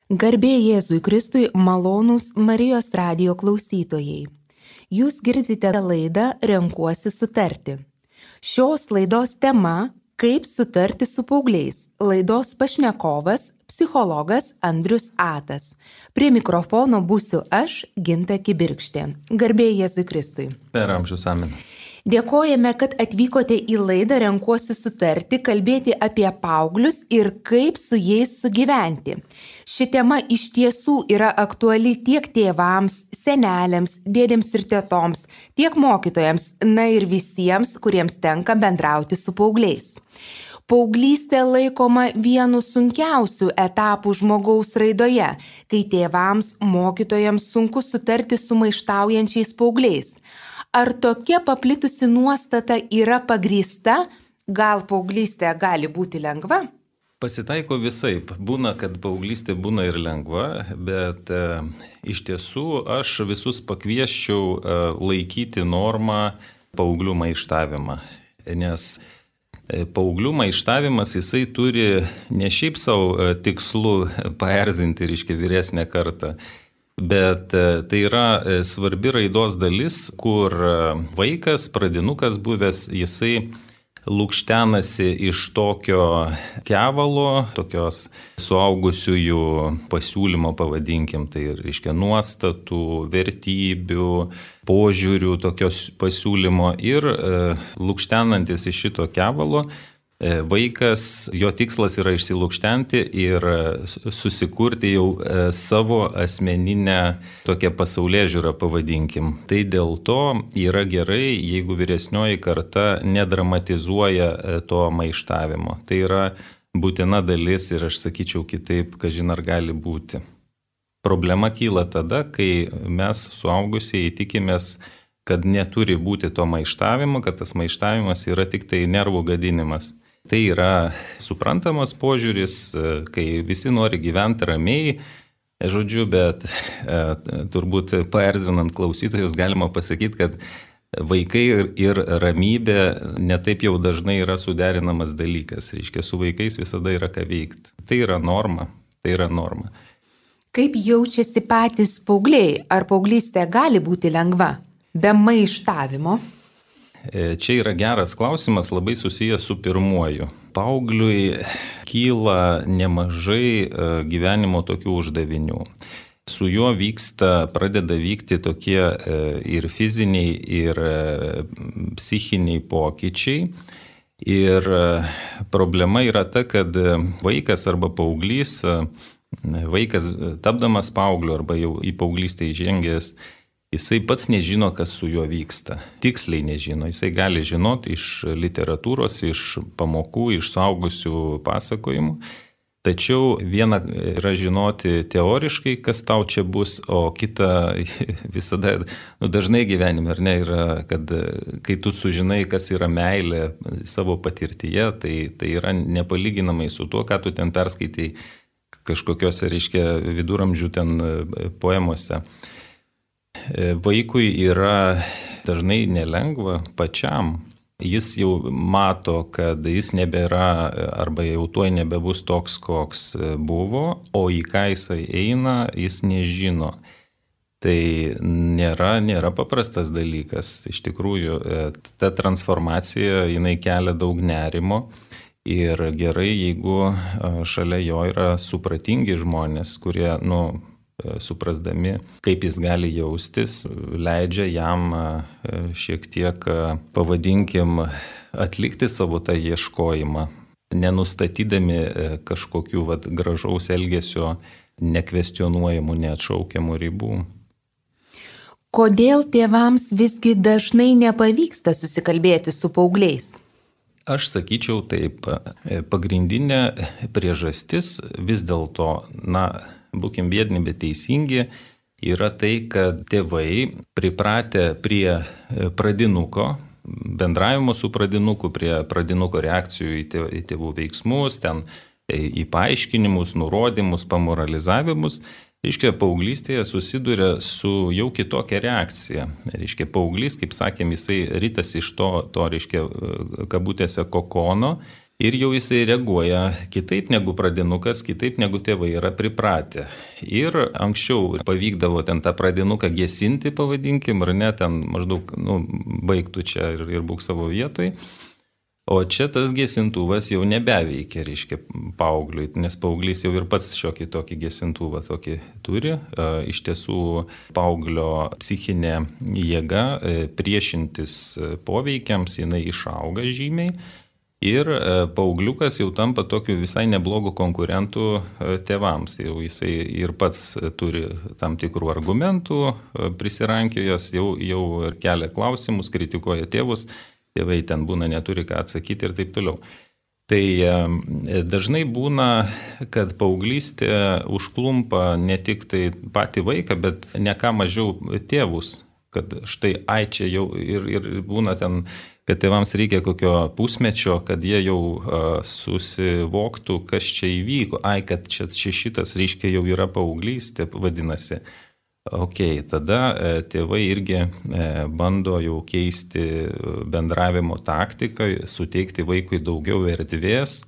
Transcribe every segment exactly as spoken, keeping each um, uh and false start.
Garbė Jėzui Kristui, malonūs Marijos radijo klausytojai. Jūs girdite laidą Renkuosi sutarti. Šios laidos tema – kaip sutarti su paaugliais. Laidos pašnekovas – psichologas Andrius Atas. Prie mikrofono būsiu aš, Ginta Kibirkštė. Garbė Jėzui Kristui. Per amžius amen. Dėkojame, kad atvykote į laidą Renkuosi sutarti, kalbėti apie paauglius ir kaip su jais sugyventi. Ši tema iš tiesų yra aktuali tiek tėvams, seneliams, dėdėms ir tetoms, tiek mokytojams, na ir visiems, kuriems tenka bendrauti su paaugliais. Paauglystė laikoma vienu sunkiausių etapų žmogaus raidoje, kai tėvams, mokytojams sunku sutarti su maištaujančiais paaugliais. Ar tokia paplitusi nuostata yra pagrįsta? Gal paauglystė gali būti lengva? Pasitaiko visaip. Būna, kad paauglystė būna ir lengva, bet e, iš tiesų aš visus pakviesčiau e, laikyti normą paauglių maištavimą. Nes e, paauglių maištavimas jisai turi ne šiaip savo e, tikslu paerzinti, reiškia, vyresnę kartą. Bet tai yra svarbi raidos dalis, kur vaikas, pradinukas buvęs, jisai lukštenasi iš tokio kevalo, tokios suaugusiųjų pasiūlymo, pavadinkim, tai reiškia nuostatų, vertybių, požiūrių, tokios pasiūlymo ir lukštenantis iš šito kevalo, vaikas, jo tikslas yra išsilukštenti ir susikurti jau savo asmeninę tokią pasaulėžiūrą, pavadinkim. Tai dėl to yra gerai, jeigu vyresnioji karta nedramatizuoja to maištavimo. Tai yra būtina dalis ir aš sakyčiau kitaip, kažin ar gali būti. Problema kyla tada, kai mes suaugusieji tikimės, kad neturi būti to maištavimo, kad tas maištavimas yra tik tai nervų gadinimas. Tai yra suprantamas požiūris, kai visi nori gyventi ramiai, žodžiu, bet e, turbūt paerzinant klausytojus galima pasakyti, kad vaikai ir, ir ramybė netaip jau dažnai yra suderinamas dalykas. Reiškia, su vaikais visada yra ką veikti. Tai yra norma. Tai yra norma. Kaip jaučiasi patys paaugliai? Ar paauglystė gali būti lengva? Be maištavimo? Čia yra geras klausimas, labai susijęs su pirmuoju. Paaugliui kyla nemažai gyvenimo tokių uždavinių. Su juo vyksta, pradeda vykti tokie ir fiziniai, ir psichiniai pokyčiai. Ir problema yra ta, kad vaikas arba paauglys, vaikas tapdamas paaugliu arba jau į paauglystę įžengęs, jisai pats nežino, kas su juo vyksta. Tiksliai nežino. Jisai gali žinoti iš literatūros, iš pamokų, iš suaugusių pasakojimų. Tačiau viena yra žinoti teoriškai, kas tau čia bus, o kita visada, nu, dažnai gyvenime, ar ne, yra, kad kai tu sužinai, kas yra meilė savo patirtyje, tai, tai yra nepalyginamai su tuo, ką tu ten perskaitai kažkokiuose, reiškia, viduramžių ten poemose. Vaikui yra dažnai nelengva pačiam. Jis jau mato, kad jis nebėra arba jau tuoj nebebus toks, koks buvo, o į ką jisai eina, jis nežino. Tai nėra, nėra paprastas dalykas. Iš tikrųjų, ta transformacija, jinai kelia daug nerimo. Ir gerai, jeigu šalia jo yra supratingi žmonės, kurie, nu, suprasdami, kaip jis gali jaustis, leidžia jam šiek tiek, pavadinkim, atlikti savo tą ieškojimą, nenustatydami kažkokių vat, gražaus elgesio, nekvestionuojamų, neatšaukiamų ribų. Kodėl tėvams visgi dažnai nepavyksta susikalbėti su paaugliais? Aš sakyčiau taip, pagrindinė priežastis vis dėlto, na, būkim biedni, bet teisingi, yra tai, kad tėvai pripratę prie pradinuko, bendravimo su pradinuku, prie pradinuko reakcijų į tėvų veiksmus, ten į paaiškinimus, nurodymus, pamoralizavimus, reiškia, paauglystėje susiduria su jau kitokia reakcija. Reiškia, paauglys, kaip sakėm, jisai rytas iš to, to reiškia, kabutėse kokono Ir jau jisai reaguoja kitaip negu pradinukas, kitaip negu tėvai yra pripratę. Ir anksčiau pavykdavo ten tą pradinuką gesinti, pavadinkim, ar ne, ten maždaug, nu, baigtų čia ir, ir būk savo vietoj. O čia tas gesintuvas jau nebeveikia, reiškia, paaugliui, nes paauglys jau ir pats šiokį tokį gesintuvą tokį turi. Iš tiesų, paauglio psichinė jėga priešintis poveikiams, jinai išauga žymiai. Ir paaugliukas jau tampa tokiu visai neblogų konkurentų tėvams. Jau jisai ir pats turi tam tikrų argumentų, prisirankėjęs, jau, jau kelia klausimus, kritikuoja tėvus, tėvai ten būna neturi ką atsakyti ir taip toliau. Tai dažnai būna, kad paauglystė užklumpa ne tik tai patį vaiką, bet ne ką mažiau tėvus. Kad štai, ai čia jau ir, ir būna ten, kad tėvams reikia kokio pusmečio, kad jie jau uh, susivoktų, kas čia įvyko. Ai, kad čia, čia šitas, reiškia, jau yra paauglystė, vadinasi. Ok, tada uh, tėvai irgi uh, bando jau keisti bendravimo taktiką, suteikti vaikui daugiau erdvės,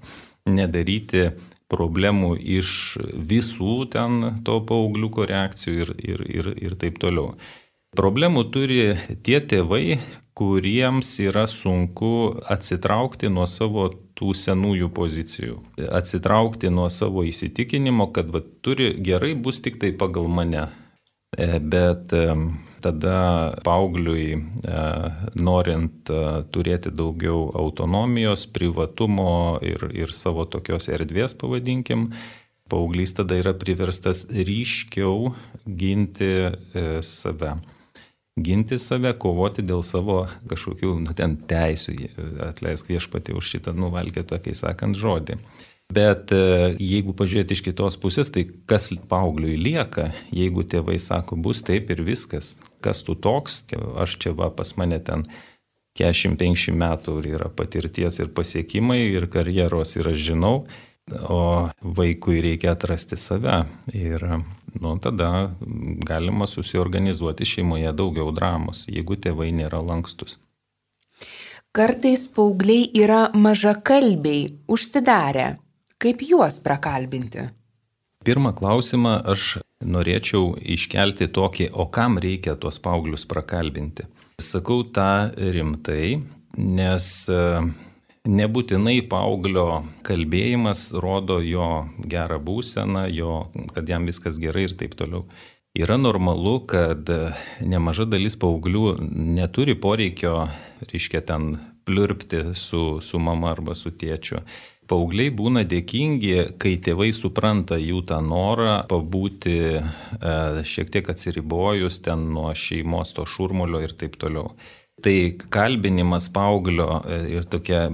nedaryti problemų iš visų ten to paaugliuko reakcijų ir, ir, ir, ir taip toliau. Problemų turi tie tėvai, kuriems yra sunku atsitraukti nuo savo tų senųjų pozicijų, atsitraukti nuo savo įsitikinimo, kad va, turi gerai bus tik tai pagal mane. Bet tada paaugliui, norint turėti daugiau autonomijos, privatumo ir, ir savo tokios erdvės, pavadinkim, paauglys tada yra priverstas ryškiau ginti save. Ginti save, kovoti dėl savo kažkokių, nu, ten teisių, atleisk viešpatį už šitą nuvalkėtą, kai sakant, žodį. Bet jeigu pažiūrėti iš kitos pusės, tai kas paaugliui lieka, jeigu tėvai sako, bus taip ir viskas, kas tu toks, aš čia va pas mane ten keturiasdešimt penkiasdešimt metų yra patirties ir pasiekimai ir karjeros ir aš žinau, o vaikui reikia atrasti save ir nu, tada galima susiorganizuoti šeimoje daugiau dramos, jeigu tėvai nėra lankstus. Kartais paaugliai yra mažakalbiai, užsidarę. Kaip juos prakalbinti? Pirmą klausimą aš norėčiau iškelti tokį, o kam reikia tuos paauglius prakalbinti. Sakau tą rimtai, nes nebūtinai paauglio kalbėjimas rodo jo gerą būseną, jo, kad jam viskas gerai ir taip toliau. Yra normalu, kad nemaža dalis paauglių neturi poreikio, reiškia, ten pliurpti su, su mama arba su tėčiu. Paaugliai būna dėkingi, kai tėvai supranta jų tą norą pabūti e, šiek tiek atsiribojus ten nuo šeimos to šurmulio ir taip toliau. Tai kalbinimas paauglio ir tokia,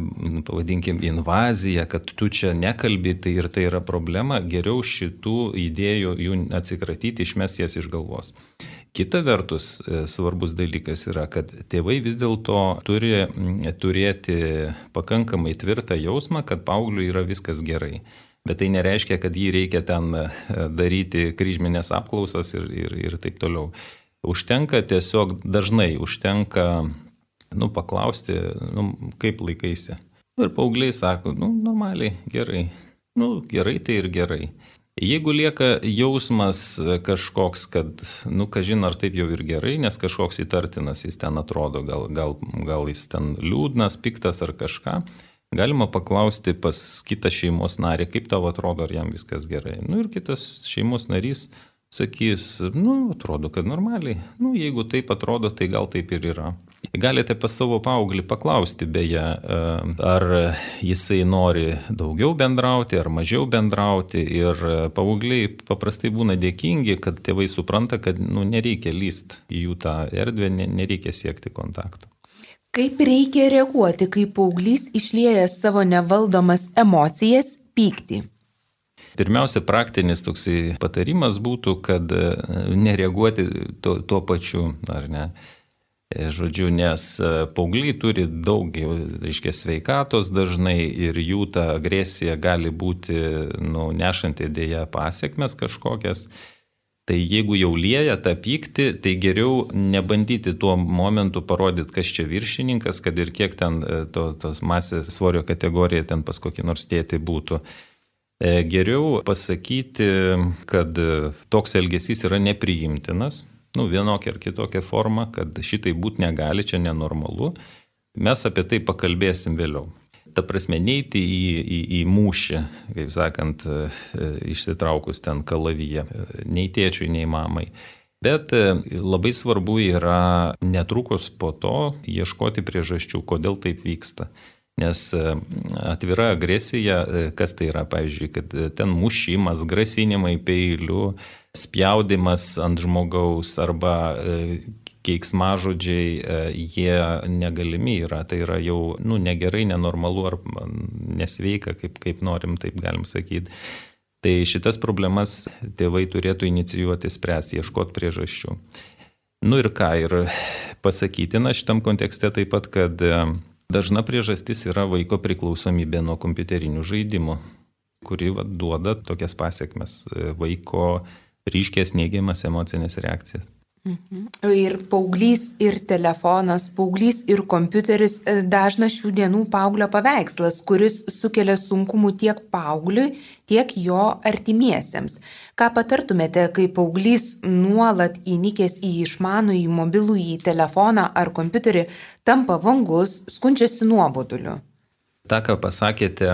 pavadinkim, invazija, kad tu čia nekalbi, tai ir tai yra problema, geriau šitų idėjų jų atsikratyti, išmesti jas iš galvos. Kita vertus, svarbus dalykas yra, kad tėvai vis dėlto turi turėti pakankamai tvirtą jausmą, kad paaugliui yra viskas gerai. Bet tai nereiškia, kad jį reikia ten daryti kryžminės apklausas ir, ir, ir taip toliau. Užtenka tiesiog, dažnai užtenka, nu, paklausti, nu, kaip laikaisi. Ir paaugliai sako, nu, normaliai, gerai. Nu, gerai tai ir gerai. Jeigu lieka jausmas kažkoks, kad, nu, kažin ar taip jau ir gerai, nes kažkoks įtartinas jis ten atrodo, gal, gal, gal jis ten liūdnas, piktas ar kažką, galima paklausti pas kitą šeimos narį, kaip tau atrodo, ar jam viskas gerai. Nu, ir kitas šeimos narys sakys, nu, atrodo, kad normaliai. Nu, jeigu taip atrodo, tai gal taip ir yra. Galite pas savo paauglį paklausti, beje, ar jisai nori daugiau bendrauti, ar mažiau bendrauti. Ir paaugliai paprastai būna dėkingi, kad tėvai supranta, kad, nu, nereikia lyst į jų tą erdvę, nereikia siekti kontaktų. Kaip reikia reaguoti, kai paauglys išlieja savo nevaldomas emocijas, pyktį? Pirmiausia, praktinis toksai patarimas būtų, kad nereaguoti tuo, tuo pačiu, ar ne. Žodžiu, nes paaugliai turi daug, reiškia, sveikatos dažnai ir jų ta agresija gali būti, nu, nešanti dėja pasiekmes kažkokias. Tai jeigu jau lieja tą pyktį, tai geriau nebandyti tuo momentu parodyti, kas čia viršininkas, kad ir kiek ten to, tos masės svorio kategorija ten pas kokį nors tėtį būtų. Geriau pasakyti, kad toks elgesys yra nepriimtinas, nu, vienokia ar kitokia forma, kad šitai būti negali, čia nenormalu. Mes apie tai pakalbėsim vėliau. Ta prasme, neiti į, į, į mūšį, kaip sakant, išsitraukus ten kalavyje, nei tėčiui, nei mamai. Bet labai svarbu yra netrukus po to ieškoti priežasčių, kodėl taip vyksta. Nes atvira agresija, kas tai yra, pavyzdžiui, kad ten mušimas, grasinimai peiliu, spjaudimas ant žmogaus arba keiksmažodžiai, jie negalimi yra, tai yra jau nu, negerai, nenormalu ar nesveika, kaip, kaip norim, taip galim sakyti. Tai šitas problemas tėvai turėtų inicijuoti spręsti, ieškoti priežasčių. Nu ir ką, ir pasakytina šitam kontekste taip pat, kad dažna priežastis yra vaiko priklausomybė nuo kompiuterinių žaidimų, kuri va, duoda tokias pasiekmes, vaiko ryškės neigiamas emocinės reakcijas. Mhm. Ir paauglys, ir telefonas, paauglys, ir kompiuteris dažnas šių dienų paauglio paveikslas, kuris sukelia sunkumų tiek paaugliui, tiek jo artimiesiems. Ką patartumėte, kai paauglys nuolat įnikęs į išmanųjį mobilųjį telefoną ar kompiuterį tampa vangus, skundžiasi nuoboduliu? Ta, ką pasakėte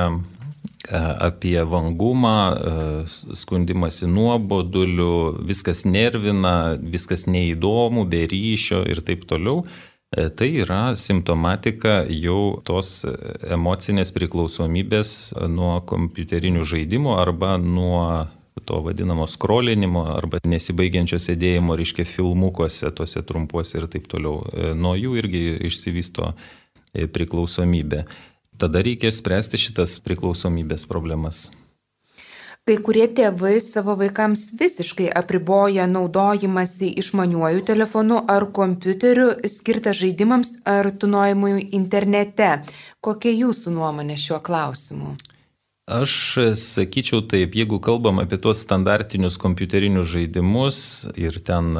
apie vangumą, skundimąsi nuoboduliu, viskas nervina, viskas neįdomu, be ryšio ir taip toliau, tai yra simptomatika jau tos emocinės priklausomybės nuo kompiuterinių žaidimų arba nuo to vadinamo skrolinimo arba nesibaigiančio sėdėjimo, reiškia, filmukuose, tose trumpuose ir taip toliau. Nuo jų irgi išsivysto priklausomybė. Tada reikia spręsti šitas priklausomybės problemas. Kai kurie tėvai savo vaikams visiškai apriboja naudojimąsi išmaniuoju telefonu ar kompiuteriu skirtą žaidimams ar tūnojimui internete. Kokia jūsų nuomonė šiuo klausimu? Aš sakyčiau taip, jeigu kalbam apie tuos standartinius kompiuterinius žaidimus ir ten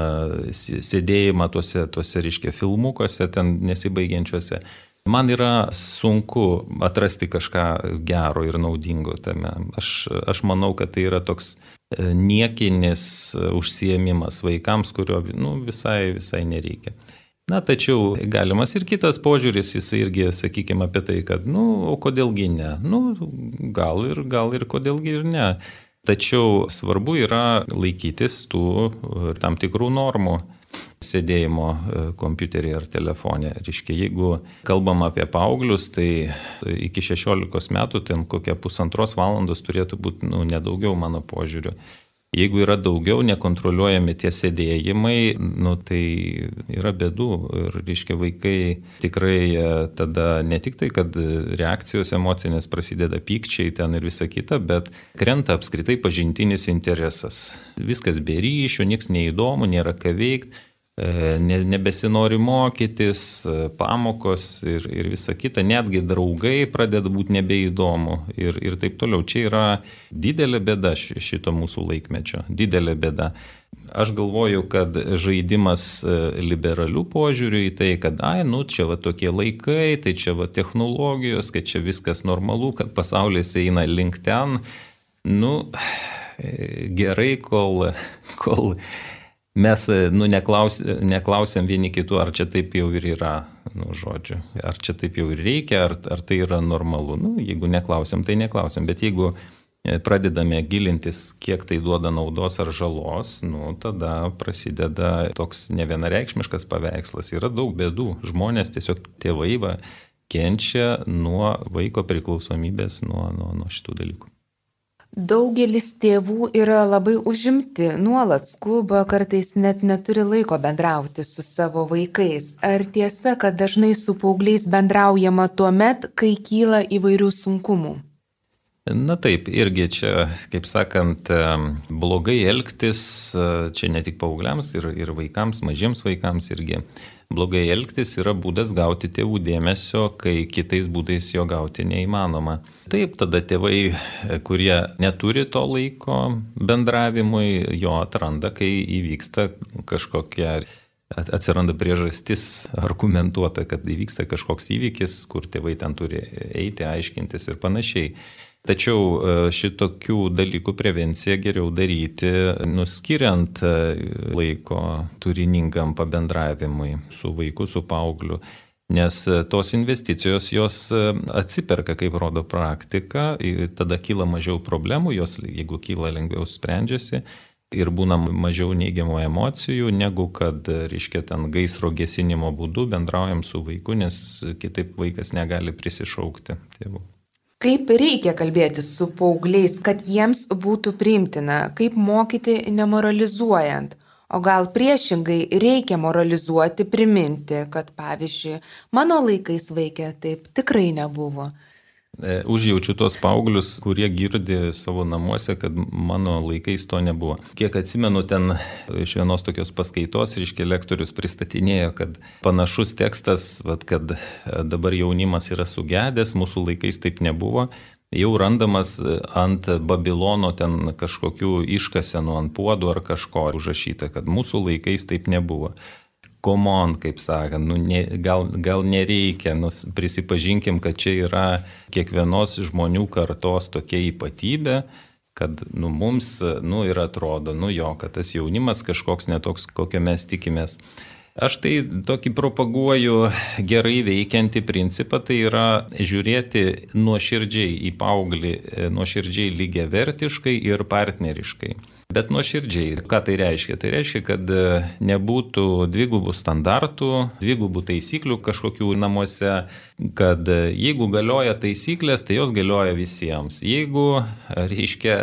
sėdėjimą tuose, tuose reiškia, filmukuose, ten nesibaigiančiuose, man yra sunku atrasti kažką gero ir naudingo tame. Aš, aš manau, kad tai yra toks niekinis užsiėmimas vaikams, kurio nu, visai, visai nereikia. Na, tačiau galimas ir kitas požiūris, jis irgi, sakykime, apie tai, kad, nu, o kodėlgi ne? Nu, gal ir, gal ir kodėlgi ir ne. Tačiau svarbu yra laikytis tų tam tikrų normų sėdėjimo kompiuterį ar telefonė. Reiškia, jeigu kalbam apie paauglius, tai iki šešiolikos metų ten kokia pusantros valandos turėtų būti nu, nedaugiau mano požiūriu. Jeigu yra daugiau nekontroliuojami tie sėdėjimai, nu, tai yra bėdų. Ir, reiškia, vaikai tikrai tada ne tik tai, kad reakcijos emocinės prasideda pykčiai ten ir visa kita, bet krenta apskritai pažintinis interesas. Viskas be ryšio, nieks neįdomu, nėra ką veikti. Nebesinori mokytis, pamokos ir, ir visa kita, netgi draugai pradeda būti nebeįdomu ir, ir taip toliau. Čia yra didelė bėda šito mūsų laikmečio, didelė bėda. Aš galvoju, kad žaidimas liberalių požiūrių į tai, kad ai, nu, čia va tokie laikai, tai čia va technologijos, kad čia viskas normalu, kad pasaulis eina link ten, nu, gerai, kol... kol mes nu, neklaus, neklausiam vieni kitų, ar čia taip jau ir yra, nu, žodžiu, ar čia taip jau ir reikia, ar, ar tai yra normalu. Nu, jeigu neklausiam, tai neklausiam, bet jeigu pradedame gilintis, kiek tai duoda naudos ar žalos, nu, tada prasideda toks nevienareikšmiškas paveikslas. Yra daug bėdų. Žmonės, tiesiog tėvai va, kenčia nuo vaiko priklausomybės, nuo, nuo, nuo šitų dalykų. Daugelis tėvų yra labai užimti, nuolat skuba, kartais net neturi laiko bendrauti su savo vaikais. Ar tiesa, kad dažnai su paaugliais bendraujama tuo met, kai kyla įvairių sunkumų? Na taip, irgi čia, kaip sakant, blogai elgtis, čia ne tik paaugliams ir, ir vaikams, mažiems vaikams irgi. Blogai elgtis yra būdas gauti tėvų dėmesio, kai kitais būdais jo gauti neįmanoma. Taip, tada tėvai, kurie neturi to laiko bendravimui, jo atranda, kai įvyksta kažkokia, atsiranda priežastis argumentuota, kad įvyksta kažkoks įvykis, kur tėvai ten turi eiti, aiškintis ir panašiai. Tačiau šitokių dalykų prevenciją geriau daryti, nuskiriant laiko turiningam pabendravimui su vaiku, su paaugliu, nes tos investicijos jos atsiperka, kaip rodo praktika, tada kyla mažiau problemų, jos jeigu kyla lengviau sprendžiasi ir būna mažiau neigiamų emocijų, negu kad, reiškia, ten gaisro gesinimo būdu bendraujam su vaiku, nes kitaip vaikas negali prisišaukti tėvų. Kaip reikia kalbėti su paaugliais, kad jiems būtų priimtina, kaip mokyti nemoralizuojant, o gal priešingai reikia moralizuoti, priminti, kad pavyzdžiui, mano laikais vaikė taip tikrai nebuvo. Užjaučiu tos paauglius, kurie girdi savo namuose, kad mano laikais to nebuvo. Kiek atsimenu, ten iš vienos tokios paskaitos, reiškia, lektorius pristatinėjo, kad panašus tekstas, vat, kad dabar jaunimas yra sugedęs, mūsų laikais taip nebuvo, jau randamas ant Babilono ten kažkokių iškasenų, ant puodų ar kažko užrašyta, kad mūsų laikais taip nebuvo. Komon, kaip sakant, nu, ne, gal, gal nereikia, nu, prisipažinkim, kad čia yra kiekvienos žmonių kartos tokia ypatybė, kad nu, mums nu, ir atrodo, nu jo, kad tas jaunimas kažkoks netoks, kokio mes tikimės. Aš tai tokį propaguoju gerai veikiantį principą, tai yra žiūrėti nuoširdžiai į paauglį, nuoširdžiai lygiavertiškai ir partneriškai. Bet nuoširdžiai, ką tai reiškia? Tai reiškia, kad nebūtų dvigubų standartų, dvigubų taisyklių kažkokių namuose, kad jeigu galioja taisyklės, tai jos galioja visiems. Jeigu, reiškia,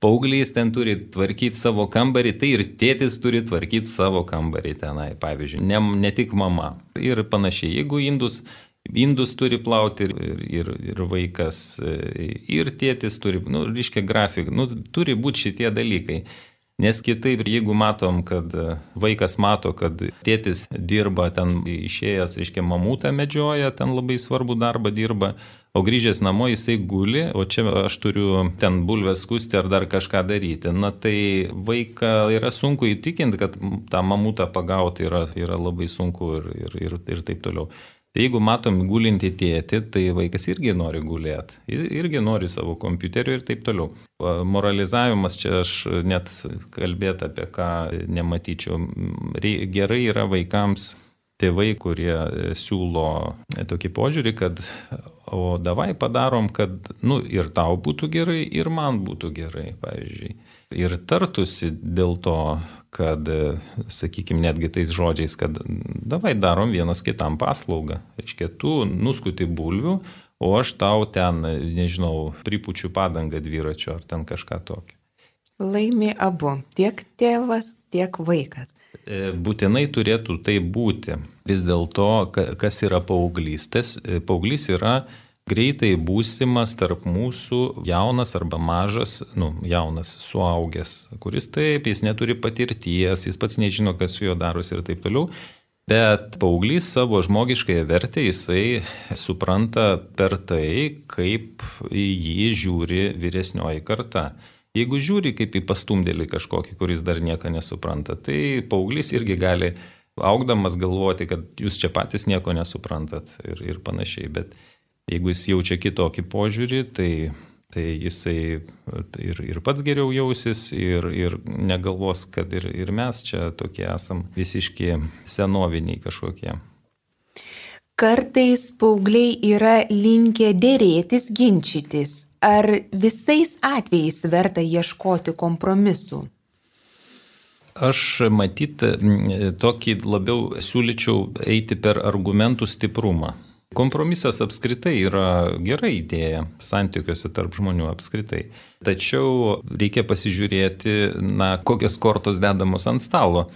paauglys ten turi tvarkyti savo kambarį, tai ir tėtis turi tvarkyti savo kambarį tenai, pavyzdžiui, ne, ne tik mama. Ir panašiai, jeigu indus... Indus turi plauti ir, ir, ir vaikas, ir tėtis turi, nu, reiškia grafika, nu, turi būti šitie dalykai. Nes kitaip, jeigu matom, kad vaikas mato, kad tėtis dirba ten išėjęs, reiškia mamutą medžioja, ten labai svarbų darbą dirba, o grįžęs namo jisai guli, o čia aš turiu ten bulves skusti ar dar kažką daryti. Na tai vaiką yra sunku įtikinti, kad tą mamutą pagauti yra, yra labai sunku ir, ir, ir, ir taip toliau. Tai jeigu matom gulinti tėtį, tai vaikas irgi nori gulėti, jis irgi nori savo kompiuterio ir taip toliau. Moralizavimas čia aš net kalbėti apie ką nematyčiau. Gerai yra vaikams tėvai, kurie siūlo tokį požiūrį, kad o davai padarom, kad nu, ir tau būtų gerai, ir man būtų gerai, pavyzdžiui. Ir tartusi dėl to, kad, sakykime, netgi tais žodžiais, kad davai darom vienas kitam paslaugą. Reiškia, tu nuskuti bulvių, o aš tau ten, nežinau, pripučiu padangą dviračio ar ten kažką tokio. Laimi abu, tiek tėvas, tiek vaikas. Būtinai turėtų tai būti. Vis dėlto, kas yra paauglystės? Paauglys yra greitai būsimas tarp mūsų jaunas arba mažas, nu, jaunas suaugęs, kuris taip, jis neturi patirties, jis pats nežino, kas su juo darosi ir taip toliau. Bet paauglys savo žmogiškąją vertę jisai supranta per tai, kaip į jį žiūri vyresnioji karta. Jeigu žiūri kaip į pastumdėlį kažkokį, kuris dar nieko nesupranta, tai paauglys irgi gali augdamas galvoti, kad jūs čia patys nieko nesuprantat ir, ir panašiai. Bet jeigu jis jaučia kitokį požiūrį, tai, tai jisai ir, ir pats geriau jausis ir, ir negalvos, kad ir, ir mes čia tokie esam visiški senoviniai kažkokie. Kartais paaugliai yra linkę dėrėtis, ginčytis. Ar visais atvejais verta ieškoti kompromisų? Aš matyt, tokį labiau siūlyčiau eiti per argumentų stiprumą. Kompromisas apskritai yra gera idėja santykiuose tarp žmonių apskritai. Tačiau reikia pasižiūrėti, na, kokios kortos dedamos ant stalo.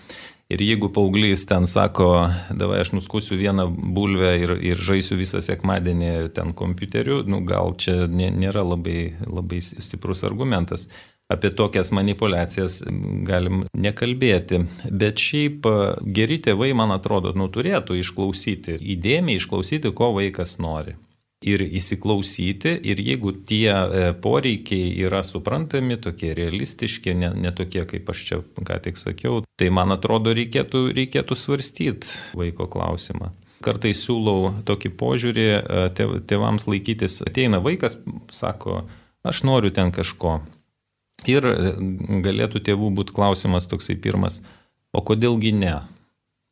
Ir jeigu paauglys ten sako, davai aš nuskusiu vieną bulvę ir, ir žaisiu visą sekmadienį ten kompiuteriu, nu, gal čia nėra labai, labai stiprus argumentas. Apie tokias manipulacijas galim nekalbėti. Bet šiaip geri tėvai, man atrodo, nu, turėtų išklausyti, įdėmiai išklausyti, ko vaikas nori. Ir įsiklausyti, ir jeigu tie poreikiai yra suprantami, tokie realistiški, ne, ne tokie, kaip aš čia ką tik sakiau, tai man atrodo reikėtų, reikėtų svarstyti vaiko klausimą. Kartais siūlau tokį požiūrį tėvams laikytis. Ateina vaikas, sako, aš noriu ten kažko. Ir galėtų tėvų būti klausimas toksai pirmas, o kodėlgi ne?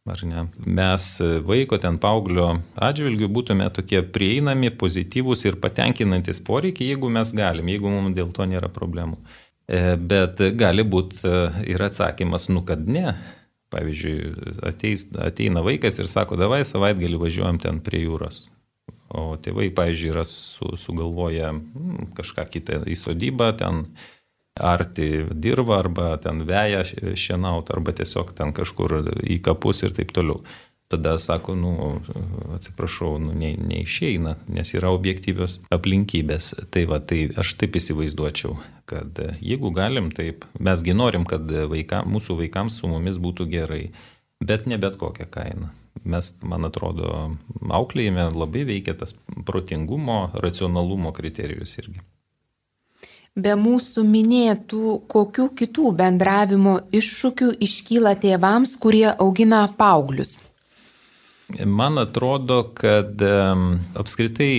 Ar ne? Mes vaiko ten paauglio atžvilgių būtume tokie prieinami, pozityvūs ir patenkinantis poreikiai, jeigu mes galim, jeigu mums dėl to nėra problemų. Bet gali būti ir atsakymas, nu kad ne. Pavyzdžiui, ateis, ateina vaikas ir sako, davai savaitgalį važiuojam ten prie jūros. O tėvai, pavyzdžiui, yra su, sugalvoję kažką kitą į sodybą, ten arti dirba, arba ten veja šienaut, arba tiesiog ten kažkur į kapus ir taip toliau. Tada sako, nu, atsiprašau, nu, ne, neišeina, nes yra objektyvios aplinkybės. Tai va, tai aš taip įsivaizduočiau, kad jeigu galim, taip, mesgi norim, kad vaika, mūsų vaikams su mumis būtų gerai, bet ne bet kokią kainą. Mes, man atrodo, auklėjime labai veikia tas protingumo, racionalumo kriterijus irgi. Be mūsų minėtų, kokių kitų bendravimo iššūkių iškyla tėvams, kurie augina paauglius? Man atrodo, kad apskritai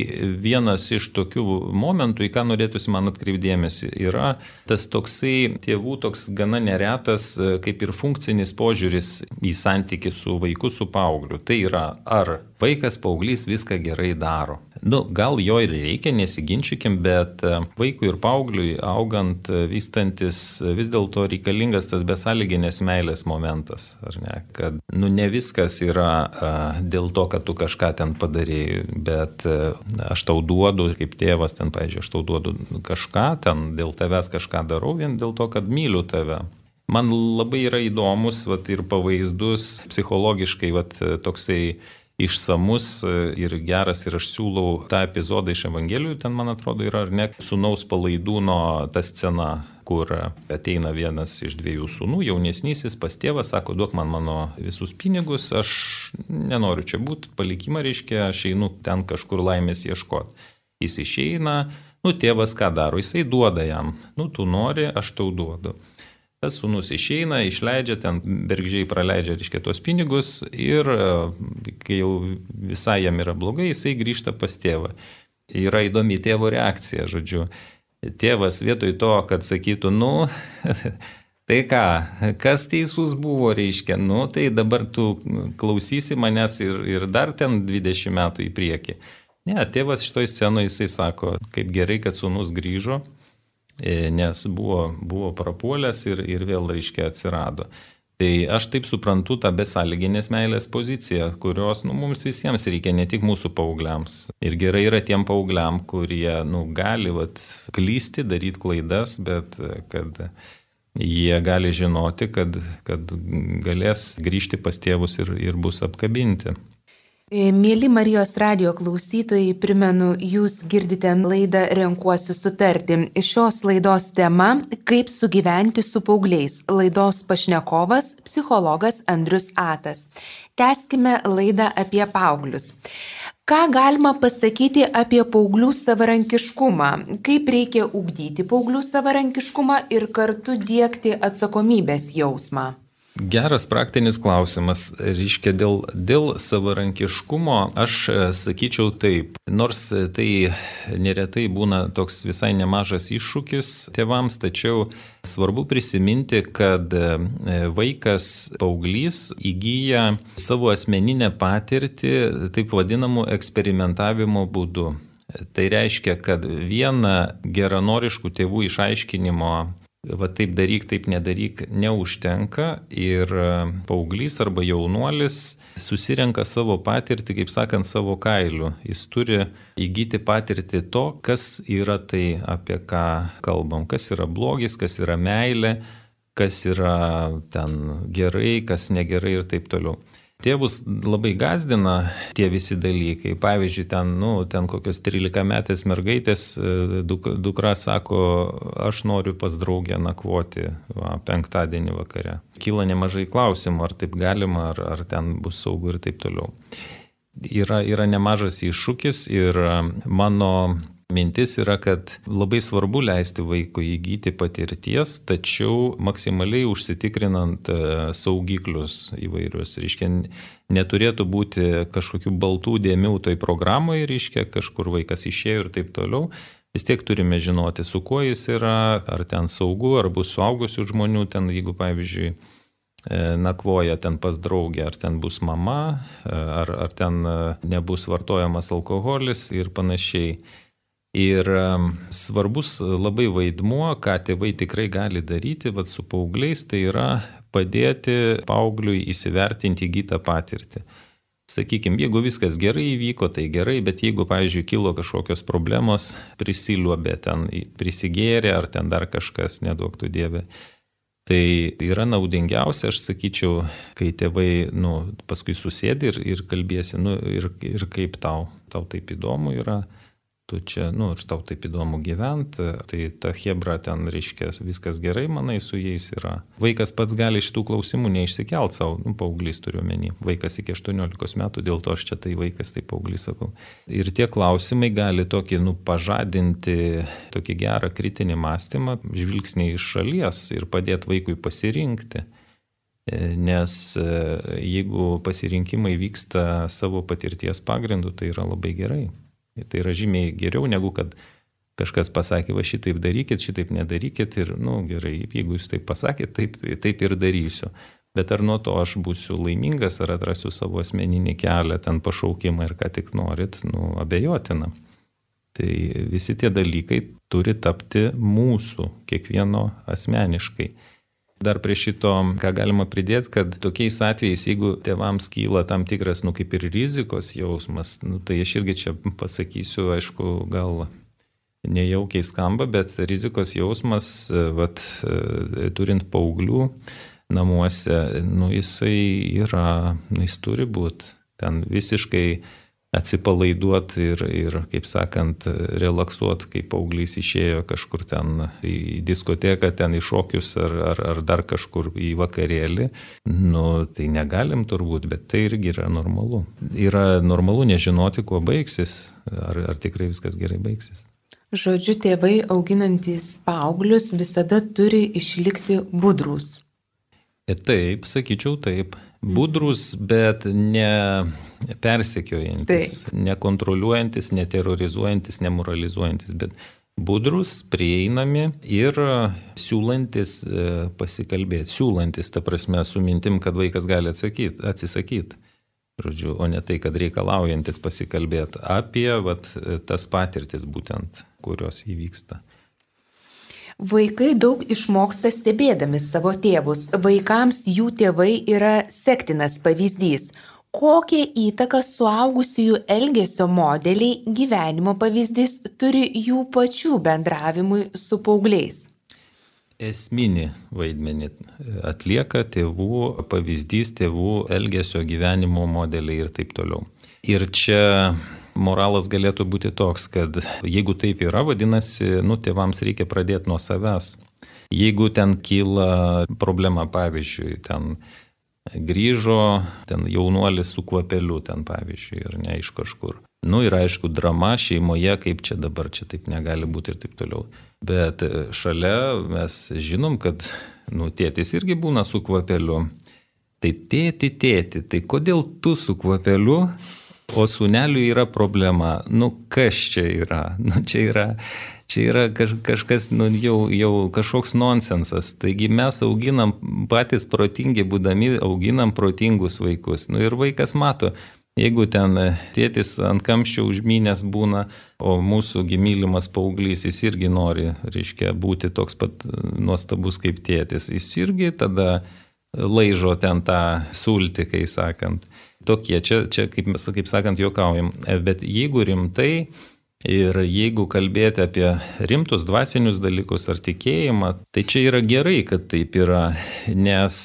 vienas iš tokių momentų, į ką norėtųsi man atkreipdėmėsi, yra tas toksai tėvų toks gana neretas kaip ir funkcinis požiūris į santykį su vaiku, su paaugliu. Tai yra, ar vaikas, paauglys viską gerai daro. Nu, gal jo ir reikia, nesiginčykim, bet vaikui ir paaugliui augant, vystantis, vis dėlto reikalingas tas besąlyginės meilės momentas. Ar ne? Kad nu, ne viskas yra a, dėl to, kad tu kažką ten padarėjai, bet a, aš tau duodu, kaip tėvas ten, pavyzdžiui, aš tau duodu kažką, ten dėl tavęs kažką darau, vien dėl to, kad myliu tave. Man labai yra įdomus vat, ir pavaizdus, psichologiškai vat, toksai išsamus ir geras, ir aš siūlau tą epizodą iš Evangelijų, ten, man atrodo, yra ar ne, sūnaus palaidūno ta scena, kur ateina vienas iš dviejų sūnų, jaunesnysis pas tėvą, sako, duok man mano visus pinigus, aš nenoriu čia būti, palikimą reiškia, aš einu ten kažkur laimės ieškoti. Jis išeina, nu, tėvas ką daro, jisai duoda jam, nu, tu nori, aš tau duodu. Tas sūnus išeina, išleidžia, ten bergžiai praleidžia, reiškia, tos pinigus ir kai jau visai jam yra blogai, jisai grįžta pas tėvą. Yra įdomi tėvo reakcija, žodžiu. Tėvas vietoj to, kad sakytų, nu, tai ką, kas teisus buvo, reiškia, nu, tai dabar tu klausysi manęs ir, ir dar ten dvidešimt metų į priekį. Ne, tėvas šitoj scenoje jisai sako, kaip gerai, kad sūnus grįžo, nes buvo, buvo prapuolęs ir, ir vėl, reiškia, atsirado. Tai aš taip suprantu tą besąlyginės meilės poziciją, kurios nu, mums visiems reikia, ne tik mūsų paaugliams. Ir gerai yra tiem paaugliam, kurie nu, gali vat, klysti, daryti klaidas, bet kad jie gali žinoti, kad, kad galės grįžti pas tėvus ir, ir bus apkabinti. Mėly Marijos radijo klausytojai, primenu, jūs girdite laidą Renkuosi sutarti. Šios laidos tema – kaip sugyventi su paaugliais. Laidos pašnekovas – psichologas Andrius Atas. Tęskime laidą apie paauglius. Ką galima pasakyti apie paauglių savarankiškumą? Kaip reikia ugdyti paauglių savarankiškumą ir kartu diegti atsakomybės jausmą? Geras praktinis klausimas. Reiškia, dėl, dėl savarankiškumo aš sakyčiau taip, nors tai neretai būna toks visai nemažas iššūkis tėvams, tačiau svarbu prisiminti, kad vaikas, paauglys įgyja savo asmeninę patirtį taip vadinamų eksperimentavimo būdu. Tai reiškia, kad viena geranoriškų tėvų išaiškinimo va taip daryk, taip nedaryk, neužtenka ir paauglys arba jaunuolis susirenka savo patirtį, kaip sakant, savo kailiu. Jis turi įgyti patirtį to, kas yra tai, apie ką kalbam, kas yra blogis, kas yra meilė, kas yra ten gerai, kas negerai ir taip toliau. Tėvus labai gazdina tie visi dalykai. Pavyzdžiui, ten, nu, ten kokios trylikametės mergaitės duk, dukra sako, aš noriu pas draugę nakvoti va, penktadienį vakare. Kyla nemažai klausimų, ar taip galima, ar, ar ten bus saugu ir taip toliau. Yra, yra nemažas iššūkis ir mano mintis yra, kad labai svarbu leisti vaikui įgyti patirties, tačiau maksimaliai užsitikrinant saugiklius įvairius. Reiškia, neturėtų būti kažkokių baltų dėmių toj programoje, reiškia, kažkur vaikas išėjo ir taip toliau. Vis tiek turime žinoti, su kuo jis yra, ar ten saugu, ar bus suaugusių žmonių, ten, jeigu, pavyzdžiui, nakvoja ten pas draugę, ar ten bus mama, ar, ar ten nebus vartojamas alkoholis ir panašiai. Ir svarbus labai vaidmuo, ką tėvai tikrai gali daryti vat, su paaugliais, tai yra padėti paaugliui įsivertinti įgytą patirtį. Sakykime, jeigu viskas gerai įvyko, tai gerai, bet jeigu, pavyzdžiui, kilo kažkokios problemos, prisiliuobė ten, prisigėrė ar ten dar kažkas, neduoktų Dieve, tai yra naudingiausia, aš sakyčiau, kai tėvai nu, paskui susėdi ir, ir kalbėsi, nu, ir, ir kaip tau, tau taip įdomu yra. Tu čia, nu, aš tau taip įdomu gyventi, tai ta chebra ten, reiškia, viskas gerai, manai, su jais yra. Vaikas pats gali šitų klausimų neišsikelt savo, nu, paauglys turiu omeny, vaikas iki aštuoniolikos metų, dėl to aš čia tai vaikas, tai paauglys sakau. Ir tie klausimai gali tokį, nu, pažadinti tokį gerą kritinį mąstymą, žvilgsnį iš šalies ir padėti vaikui pasirinkti. Nes jeigu pasirinkimai vyksta savo patirties pagrindu, tai yra labai gerai. Tai yra žymiai geriau, negu kad kažkas pasakė, va šitaip darykit, šitaip nedarykit ir, nu, gerai, jeigu jūs taip pasakėt, taip, taip ir darysiu. Bet ar nuo to aš būsiu laimingas, ar atrasiu savo asmeninį kelią, ten pašaukimą ir ką tik norit, nu, abejotina. Tai visi tie dalykai turi tapti mūsų, kiekvieno asmeniškai. Dar prie šito, ką galima pridėti, kad tokiais atvejais, jeigu tėvams kyla tam tikras, nu, kaip ir rizikos jausmas, nu, tai aš irgi čia pasakysiu, aišku, gal nejaukiai skamba, bet rizikos jausmas, vat, turint paauglių namuose, nu, jisai yra, nu, jis turi būti ten visiškai atsipalaiduoti ir, ir, kaip sakant, relaksuoti, kai paauglys išėjo kažkur ten į diskoteką, ten į šokius ar, ar, ar dar kažkur į vakarėlį. Nu, tai negalim turbūt, bet tai irgi yra normalu. Yra normalu nežinoti, kuo baigsis, ar, ar tikrai viskas gerai baigsis. Žodžiu, tėvai auginantys paauglius visada turi išlikti budrūs. Taip, sakyčiau taip. Budrus, bet ne persekiojantis, taip. Nekontroliuojantis, neterrorizuojantis, nemoralizuojantis, bet budrus, prieinami ir siūlantis pasikalbėti. Siūlantis, ta prasme, su mintim, kad vaikas gali atsakyti, atsisakyti. Žodžiu, o ne tai, kad reikalaujantis pasikalbėti apie vat, tas patirtis būtent, kurios įvyksta. Vaikai daug išmoksta stebėdami savo tėvus. Vaikams jų tėvai yra sektinas pavyzdys. Kokią įtaką suaugusiųjų elgesio modeliai, gyvenimo pavyzdys turi jų pačių bendravimui su paaugliais? Esminį vaidmenį atlieka tėvų pavyzdys, tėvų elgesio gyvenimo modeliai ir taip toliau. Ir čia moralas galėtų būti toks, kad jeigu taip yra, vadinasi, nu, tėvams reikia pradėti nuo savęs. Jeigu ten kyla problema, pavyzdžiui, ten grįžo ten jaunuolis su kvapeliu, ten pavyzdžiui, ir ne iš kažkur. Nu ir aišku, drama šeimoje, kaip čia dabar, čia taip negali būti ir taip toliau. Bet šalia mes žinom, kad nu, tėtis irgi būna su kvapeliu. Tai tėti, tėti, tai kodėl tu su kvapeliu? O sūneliui yra problema. Nu, kas čia yra? Nu, čia yra, čia yra kaž, kažkas, nu, jau, jau kažkoks nonsensas. Taigi mes auginam, patys protingi būdami, auginam protingus vaikus. Nu, ir vaikas mato, jeigu ten tėtis ant kamščio užmynęs būna, o mūsų mylimas paauglys, jis irgi nori, reiškia, būti toks pat nuostabus kaip tėtis. Jis irgi tada laižo ten tą sultį, kai sakant. Tokie, čia, čia kaip, kaip sakant, juokaujam. Bet jeigu rimtai, Ir jeigu kalbėti apie rimtus dvasinius dalykus ar tikėjimą, tai čia yra gerai, kad taip yra. Nes,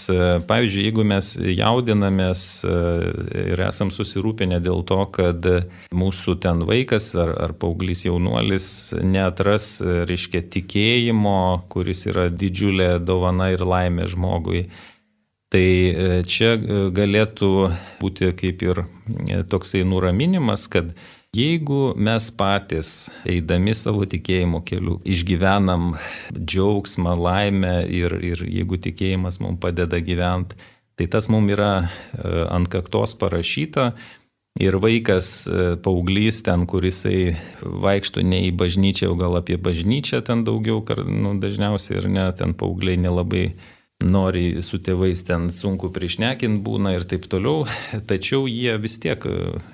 pavyzdžiui, jeigu mes jaudinamės ir esam susirūpinę dėl to, kad mūsų ten vaikas ar, ar paauglys jaunuolis neatras, reiškia, tikėjimo, kuris yra didžiulė dovana ir laimė žmogui, tai čia galėtų būti kaip ir toksai nuraminimas, kad jeigu mes patys, eidami savo tikėjimo keliu, išgyvenam džiaugsmą, laimę ir, ir jeigu tikėjimas mums padeda gyventi, tai tas mums yra ant kaktos parašyta ir vaikas, paauglys ten, kurisai vaikšto ne į bažnyčią, o gal apie bažnyčią ten daugiau, nu, dažniausiai ir ne, ten paaugliai nelabai nori su tėvais, ten sunku prišnekint būna ir taip toliau, tačiau jie vis tiek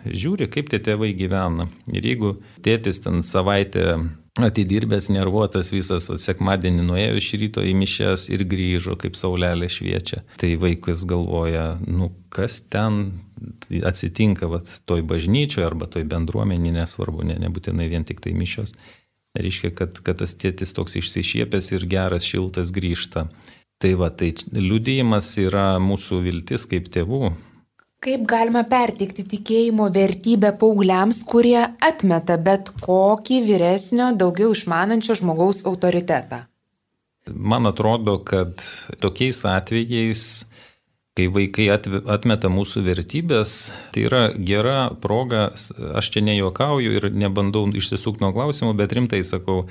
žiūri, kaip tie tėvai gyvena. Ir jeigu tėtis ten savaitę atidirbęs, nervuotas visas, sekmadienį nuėjo iš ryto į mišias ir grįžo, kaip saulelė šviečia, tai vaikas galvoja, nu kas ten atsitinka vat, toj bažnyčioje arba toj bendruomenė, nesvarbu, ne, nebūtinai vien tik tai mišios. Reiškia, kad, kad tas tėtis toks išsišiepęs ir geras, šiltas grįžta. Tai va, tai liudijimas yra mūsų viltis kaip tėvų. Kaip galima perteikti tikėjimo vertybę paaugliams, kurie atmeta bet kokį vyresnio, daugiau išmanančio žmogaus autoritetą? Man atrodo, kad tokiais atvejais, kai vaikai atmeta mūsų vertybės, tai yra gera proga, aš čia nejuokauju ir nebandau išsisukti nuo klausimų, bet rimtai sakau,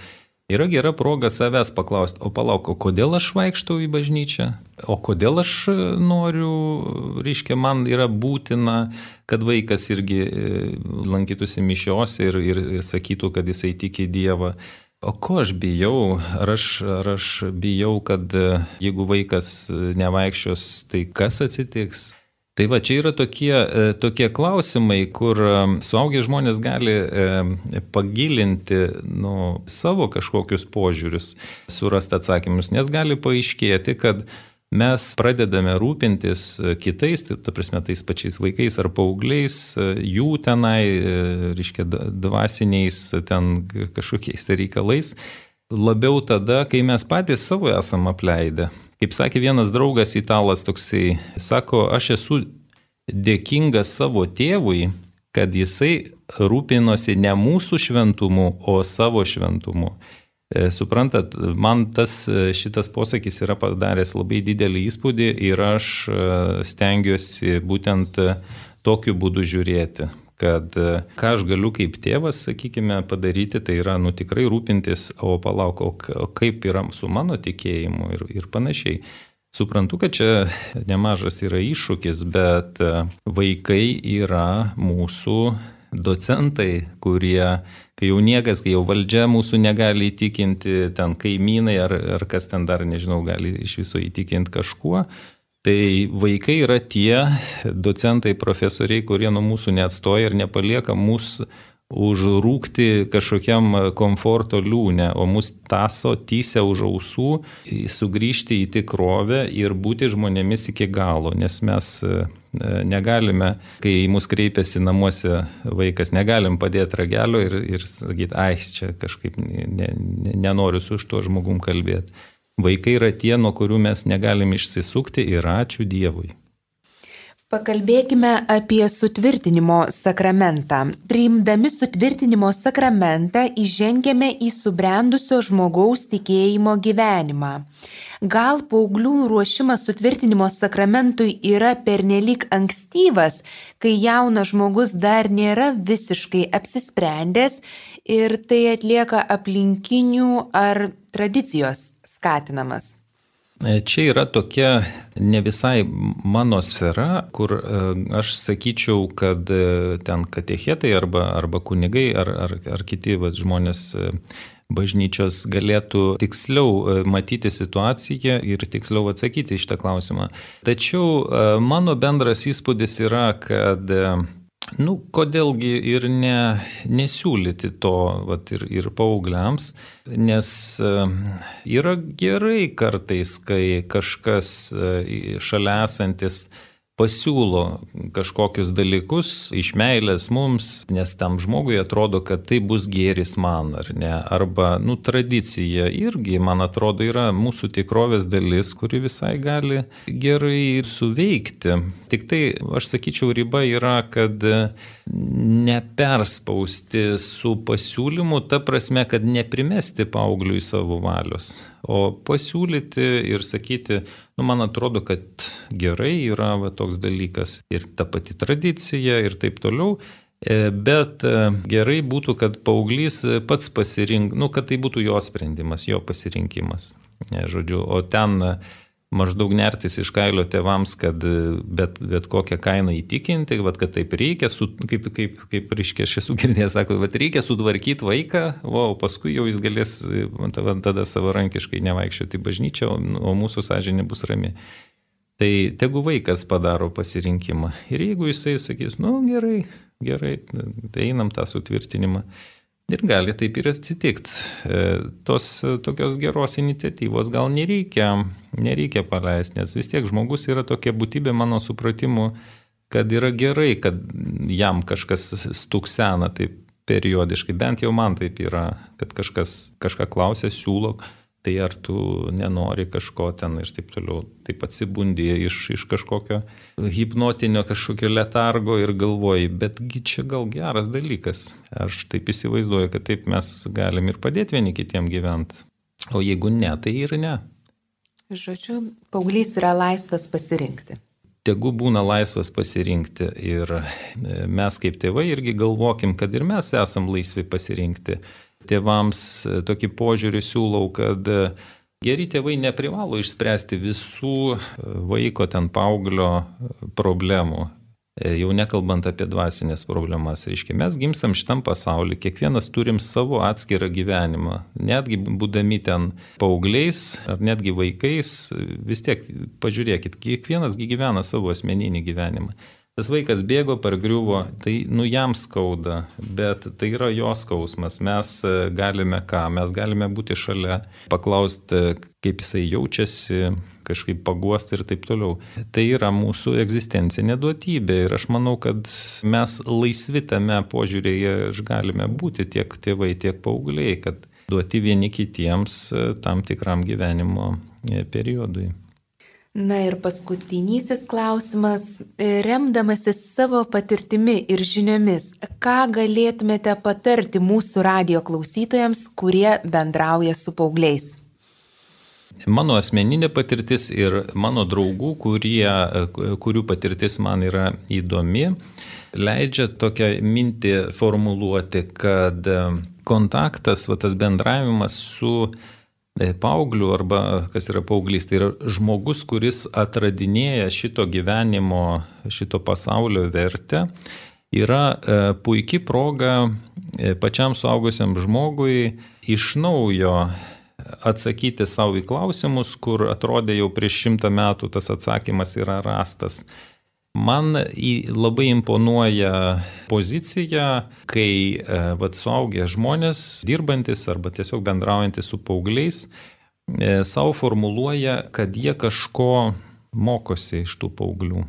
yra gera proga savęs paklausti, o palauk, o kodėl aš vaikštau į bažnyčią? O kodėl aš noriu, reiškia, man yra būtina, kad vaikas irgi lankytųsi mišiose ir, ir sakytų, kad jisai tiki Dievą. O ko aš bijau? Ar aš, ar aš bijau, kad jeigu vaikas nevaikščios, tai kas atsitiks? Tai va, čia yra tokie, tokie klausimai, kur suaugę žmonės gali pagilinti nu, savo kažkokius požiūrius, surasti atsakymus, nes gali paaiškėti, kad mes pradedame rūpintis kitais, tai ta prasme tais pačiais vaikais ar paaugliais, jų tenai, reiškia, dvasiniais ten kažkokiais reikalais, labiau tada, kai mes patys savo esam apleidę. Kaip sakė vienas draugas italas toksai, sako, aš esu dėkingas savo tėvui, kad jisai rūpinosi ne mūsų šventumu, o savo šventumu. Suprantat, man tas šitas posakis yra padaręs labai didelį įspūdį ir aš stengiuosi būtent tokiu būdu žiūrėti, kad ką aš galiu kaip tėvas, sakykime, padaryti, tai yra nu tikrai rūpintis, o palauk, o kaip yra su mano tikėjimu ir, ir panašiai. Suprantu, kad čia nemažas yra iššūkis, bet vaikai yra mūsų docentai, kurie, kai jau niekas, kai jau valdžia mūsų negali įtikinti, ten kaimynai ar, ar kas ten dar, nežinau, gali iš viso įtikinti kažkuo, tai vaikai yra tie docentai, profesoriai, kurie nuo mūsų neatstoja ir nepalieka mūsų užrūkti kažkokiam komforto liūne, o mus taso tysia už ausų, sugrįžti į tikrovę ir būti žmonėmis iki galo, nes mes negalime, kai į mus kreipiasi namuose vaikas, negalim padėti ragelio ir, ir sakyti, ai, čia kažkaip ne, ne, nenoriu su šituo žmogum kalbėti. Vaikai yra tie, nuo kurių mes negalim išsisukti ir ačiū Dievui. Pakalbėkime apie sutvirtinimo sakramentą. Priimdami sutvirtinimo sakramentą įžengiame į subrendusio žmogaus tikėjimo gyvenimą. Gal paauglių ruošimas sutvirtinimo sakramentui yra pernelyg ankstyvas, kai jaunas žmogus dar nėra visiškai apsisprendęs ir tai atlieka aplinkinių ar tradicijos skatinamas? Čia yra tokia ne visai mano sfera, kur aš sakyčiau, kad ten katechetai arba, arba kunigai ar, ar, ar kiti va, žmonės bažnyčios galėtų tiksliau matyti situaciją ir tiksliau atsakyti į šitą klausimą. Tačiau mano bendras įspūdis yra, kad nu, kodėlgi ir ne, nesiūlyti to vat, ir, ir paaugliams, nes yra gerai kartais, kai kažkas šalia esantis pasiūlo kažkokius dalykus iš meilės mums, nes tam žmogui atrodo, kad tai bus gėris man, ar ne. Arba, nu, tradicija irgi, man atrodo, yra mūsų tikrovės dalis, kuri visai gali gerai suveikti. Tik tai, aš sakyčiau, riba yra, kad neperspausti su pasiūlymu, ta prasme, kad neprimesti paaugliui savo valios, o pasiūlyti ir sakyti, nu, man atrodo, kad gerai yra va, toks dalykas ir ta pati tradicija ir taip toliau, bet gerai būtų, kad paauglys pats pasirink, nu, kad tai būtų jo sprendimas, jo pasirinkimas. Žodžiu, o ten maždaug nertis iš kailio tėvams, kad bet, bet kokią kainą įtikinti, vat, kad taip reikia, su, kaip, kaip, kaip reiškia, aš esu girdėjęs, sako, vat, reikia sutvarkyti vaiką, o paskui jau jis galės tada savarankiškai nevaikščioti į bažnyčią, o mūsų sąžinė bus rami. Tai tegu vaikas padaro pasirinkimą. Ir jeigu jisai sakys, nu gerai, gerai, tai einam tą sutvirtinimą. Ir gali taip ir atsitikti. Tos tokios geros iniciatyvos gal nereikia, nereikia paleisti, nes vis tiek žmogus yra tokia būtybė mano supratimu, kad yra gerai, kad jam kažkas stuksena taip periodiškai, bent jau man taip yra, kad kažkas kažką klausia, siūlo, tai ar tu nenori kažko ten ir taip toliau. Taip atsibundi iš, iš kažkokio hipnotinio kažkokio letargo ir galvoji, betgi čia gal geras dalykas. Aš taip įsivaizduoju, kad taip mes galim ir padėti vieni kitiem gyventi. O jeigu ne, tai ir ne. Žodžiu, paauglys yra laisvas pasirinkti. Tegu būna laisvas pasirinkti ir mes kaip tėvai irgi galvokim, kad ir mes esam laisvi pasirinkti. Tėvams tokį požiūrį siūlau, kad geri tėvai neprivalo išspręsti visų vaiko ten paauglio problemų, jau nekalbant apie dvasinės problemas. Reiškia, mes gimstam šitam pasaulyje, kiekvienas turim savo atskirą gyvenimą. Netgi būdami ten paaugliais ar netgi vaikais, vis tiek pažiūrėkit, kiekvienas gyvena savo asmeninį gyvenimą. Tas vaikas bėgo, pargriuvo, tai nu jam skauda, bet tai yra jo skausmas. Mes galime ką, mes galime būti šalia, paklausti, kaip jisai jaučiasi, kažkaip paguosti ir taip toliau. Tai yra mūsų egzistencinė duotybė ir aš manau, kad mes laisvi tame požiūrėje galime būti tiek tėvai, tiek paaugliai, kad duoti vieni kitiems tam tikram gyvenimo periodui. Na ir paskutinysis klausimas, remdamasis savo patirtimi ir žiniomis, ką galėtumėte patarti mūsų radijo klausytojams, kurie bendrauja su paaugliais? Mano asmeninė patirtis ir mano draugų, kurie, kurių patirtis man yra įdomi, leidžia tokią mintį formuluoti, kad kontaktas, va, tas bendravimas su paaugliu arba kas yra paauglys, tai yra žmogus, kuris atradinėja šito gyvenimo, šito pasaulio vertę, yra puikia proga pačiam suaugusiam žmogui iš naujo atsakyti savo į klausimus, kur atrodė jau prieš šimtą metų tas atsakymas yra rastas. Man labai imponuoja pozicija, kai vat, suaugę žmonės, dirbantis arba tiesiog bendraujantis su paaugliais, savo formuluoja, kad jie kažko mokosi iš tų paauglių.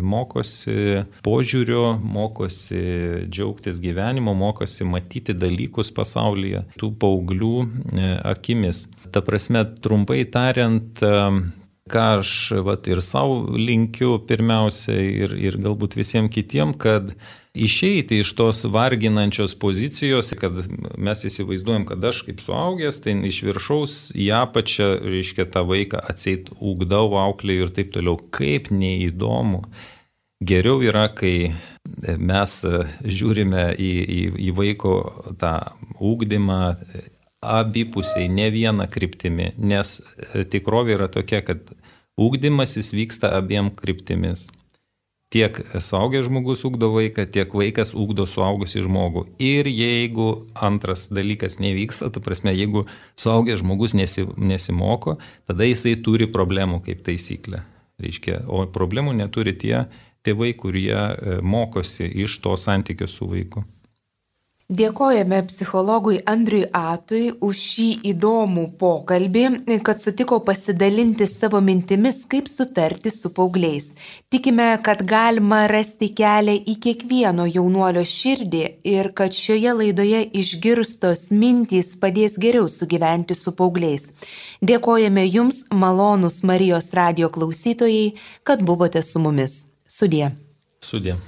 Mokosi požiūrio, mokosi džiaugtis gyvenimo, mokosi matyti dalykus pasaulyje tų paauglių akimis. Ta prasme, trumpai tariant, ką aš vat, ir savo linkiu pirmiausia ir, ir galbūt visiems kitiem, kad išeiti iš tos varginančios pozicijos, kad mes įsivaizduojam, kad aš kaip suaugęs, tai iš viršaus į apačią, reiškia, tą vaiką atseit ugdau, auklėju ir taip toliau. Kaip neįdomu. Geriau yra, kai mes žiūrime į, į, į vaiko tą ugdymą, abipusiai, ne vieną kryptimį, nes tikrovė yra tokia, kad ugdymasis vyksta abiem kryptimis. Tiek suaugęs žmogus ugdo vaiką, tiek vaikas ugdo suaugusį žmogų. Ir jeigu antras dalykas nevyksta, ta prasme, jeigu suaugęs žmogus nesi, nesimoko, tada jisai turi problemų kaip taisyklė. Reiškia, o problemų neturi tie tėvai, kurie mokosi iš to santykio su vaiku. Dėkojame psichologui Andriui Atui už šį įdomų pokalbį, kad sutiko pasidalinti savo mintimis, kaip sutarti su paaugliais. Tikime, kad galima rasti kelią į kiekvieno jaunuolio širdį ir kad šioje laidoje išgirstos mintys padės geriau sugyventi su paaugliais. Dėkojame Jums, malonūs Marijos radijo klausytojai, kad buvote su mumis. Sudie. Sudie.